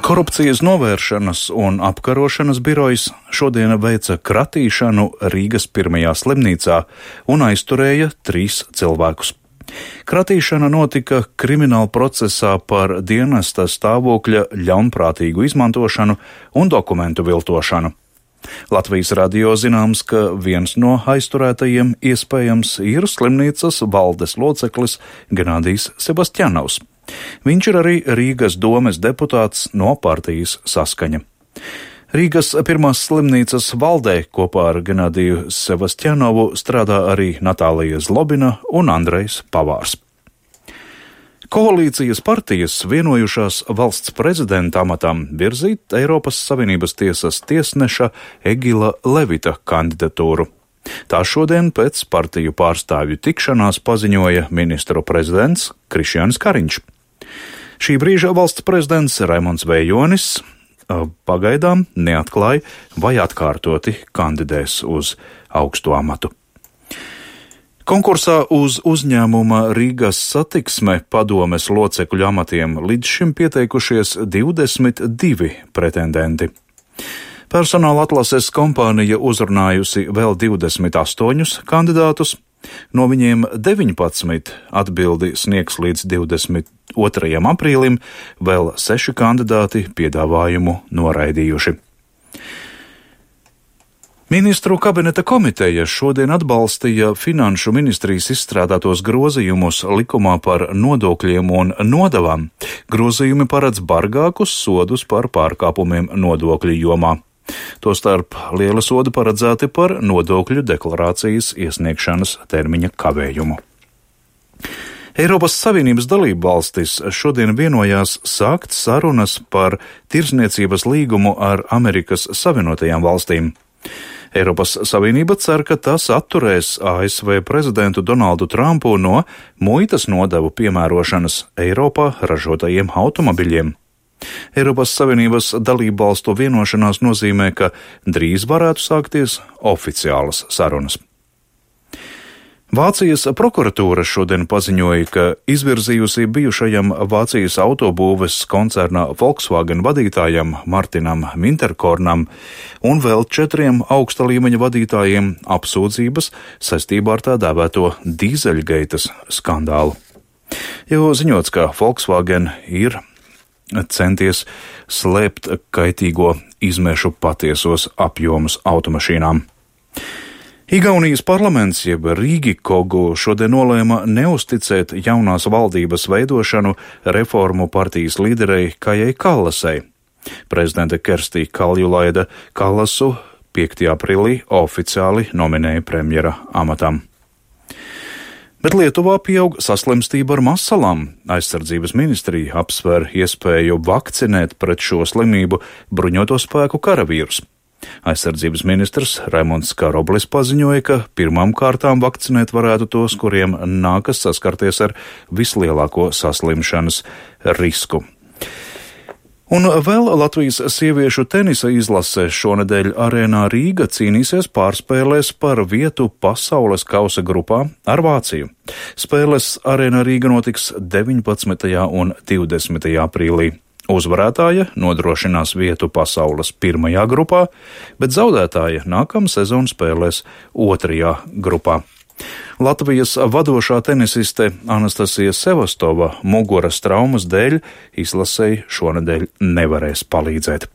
Korupcijas novēršanas un apkarošanas birojs šodien veica kratīšanu Rīgas pirmajā slimnīcā un aizturēja 3 cilvēkus. Kratīšana notika krimināla procesā par dienesta stāvokļa ļaunprātīgu izmantošanu un dokumentu viltošanu. Latvijas radio zināms, ka viens no aizturētajiem iespējams ir slimnīcas valdes loceklis Genādijs Sebastjanovs. Viņš ir arī Rīgas domes deputāts no partijas Saskaņa. Rīgas pirmās slimnīcas valdē kopā ar Genādiju Sebastjanovu strādā arī Natālija Zlobina un Andrejs Pavārs. Koalīcijas partijas vienojušās valsts prezidenta amatam virzīt Eiropas Savienības tiesas tiesneša Egila Levita kandidatūru. Tā šodien pēc partiju pārstāvju tikšanās paziņoja ministru prezidents Krišjānis Kariņš. Šī brīža valsts prezidents Raimonds Vējonis pagaidām neatklāja, vai atkārtoti kandidēs uz augstu amatu. Konkursā uz uzņēmuma Rīgas satiksme padomes locekļu amatiem līdz šim pieteikušies 22 pretendenti. Personāla atlases kompānija uzrunājusi vēl 28 kandidātus, no viņiem 19 atbildi sniegs līdz 22. aprīlim, vēl 6 kandidāti piedāvājumu noraidījuši. Ministru kabineta komiteja šodien atbalstīja Finanšu ministrijas izstrādātos grozījumus likumā par nodokļiem un nodavām. Grozījumi paredz bargākus sodus par pārkāpumiem nodokļu jomā. Tostarp liela soda paredzēti par nodokļu deklarācijas iesniegšanas termiņa kavējumu. Eiropas Savienības dalībvalstis šodien vienojās sākt sarunas par tirdzniecības līgumu ar Amerikas Savienotajām valstīm. Eiropas Savienība cer, ka tas atturēs ASV prezidentu Donaldu Trumpu no muitas nodevu piemērošanas Eiropā ražotajiem automobiļiem. Eiropas Savienības dalībvalstu vienošanās nozīmē, ka drīz varētu sākties oficiālas sarunas. Vācijas prokuratūra šodien paziņoja, ka izvirzījusi bijušajam Vācijas autobūves koncerna Volkswagen vadītājam Martinam Winterkornam un vēl 4 augsta līmeņa vadītājiem apsūdzības saistībā ar tā dēvēto dīzeļgeitas skandālu. Jau ziņots, ka Volkswagen ir centies slēpt kaitīgo izmešu patiesos apjomus automašīnām. Igaunijas parlaments jeb Rīgikogu šodien nolēma neusticēt jaunās valdības veidošanu reformu partijas līderei Kajai Kallasai. Prezidente Kerstī Kaljulaida Kallasu 5. aprīlī oficiāli nominēja premjera amatam. Bet Lietuvā pieaug saslimstība ar masalām. Aizsardzības ministrija apsver iespēju vakcinēt pret šo slimību bruņoto spēku karavīrus. Aizsardzības ministrs Raimonds Karoblis paziņoja, ka pirmām kārtām vakcinēt varētu tos, kuriem nākas saskarties ar vislielāko saslimšanas risku. Un vēl Latvijas sieviešu tenisa izlase šonedēļ arēnā Rīga cīnīsies pārspēlēs par vietu pasaules kausa grupā ar Vāciju. Spēles arēnā Rīga notiks 19. un 20. aprīlī. Uzvarētāja nodrošinās vietu pasaules 1. grupā, bet zaudētāja nākamā sezona spēlēs 2. grupā. Latvijas vadošā tenisiste Anastasija Sevastova muguras traumas dēļ izlasei šonedēļ nevarēs palīdzēt.